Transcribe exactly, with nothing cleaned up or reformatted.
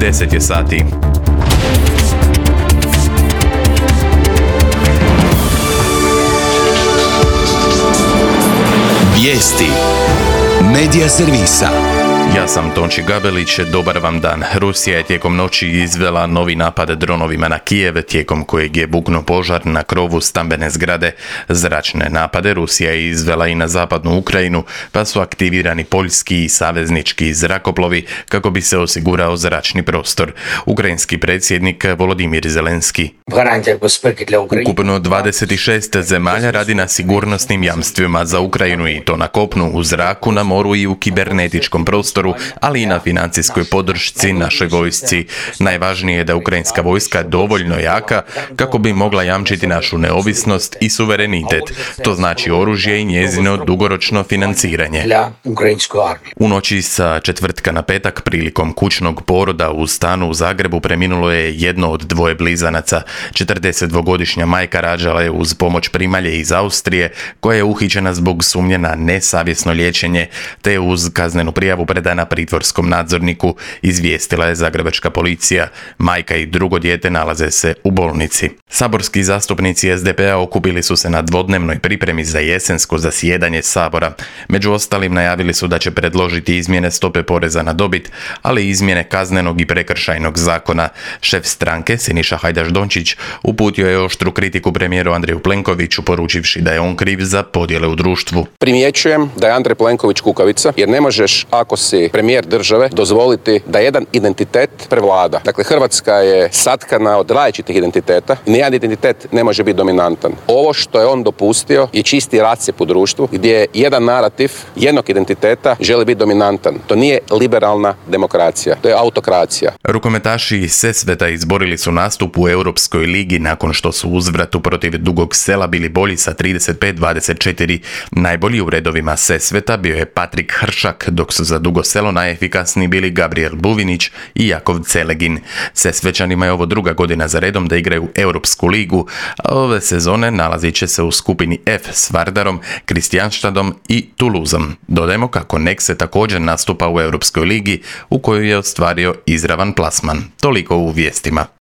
deset je sati. Vijesti Medija servisa. Ja sam Tonči Gabelić, dobar vam dan. Rusija je tijekom noći izvela novi napad dronovima na Kijev, tijekom kojeg je buknuo požar na krovu stambene zgrade. Zračne napade Rusija je izvela i na zapadnu Ukrajinu, pa su aktivirani poljski i saveznički zrakoplovi kako bi se osigurao zračni prostor. Ukrajinski predsjednik Volodimir Zelenski. Ukupno dvadeset šest zemalja radi na sigurnosnim jamstvima za Ukrajinu i to na kopnu, u zraku, na moru i u kibernetičkom prostoru, ali i na financijskoj podršci našoj vojsci. Najvažnije je da ukrajinska vojska dovoljno jaka kako bi mogla jamčiti našu neovisnost i suverenitet. To znači oružje i njezino dugoročno financiranje. U noći sa četvrtka na petak prilikom kućnog poroda u stanu u Zagrebu preminulo je jedno od dvoje blizanaca. četrdesetdvogodišnja majka rađala je uz pomoć primalje iz Austrije, koja je uhićena zbog sumnje na nesavjesno liječenje, te uz kaznenu prijavu predana pritvorskom nadzorniku, izvijestila je zagrebačka policija. Majka i drugo dijete nalaze se u bolnici. Saborski zastupnici es de pe a okupili su se na dvodnevnoj pripremi za jesensko zasjedanje Sabora. Među ostalim najavili su da će predložiti izmjene stope poreza na dobit, ali i izmjene kaznenog i prekršajnog zakona. Šef stranke, Siniša Hajdaš Dončić, uputio je oštru kritiku premijeru Andreju Plenkoviću, poručivši da je on kriv za podjele u društvu. Primjećujem da je Andrej Plenković kukavica, jer ne možeš, ako si premijer države, dozvoliti da jedan identitet prevlada. Dakle, Hrvatska je satkana od različitih identiteta i nijedan identitet ne može biti dominantan. Ovo što je on dopustio je čisti rascjep u društvu, gdje jedan narativ jednog identiteta želi biti dominantan. To nije liberalna demokracija, to je autokracija. Rukometaši iz Sesveta izborili su nastup u Europskoj ligi nakon što su u uzvratu protiv Dugog Sela bili bolji sa trideset pet dvadeset četiri. Najbolji u redovima Sesveta bio je Patrik Hršak, dok su za Dugo Selo najefikasniji bili Gabriel Buvinić i Jakov Celegin. Sesvećanima je ovo druga godina za redom da igraju Europsku ligu, a ove sezone nalazit će se u skupini F s Vardarom, Kristijanštadom i Toulouseom. Dodajmo kako Nekse također nastupa u Europskoj ligi, u kojoj je ostvario izravan plasman. Toliko u vijestima.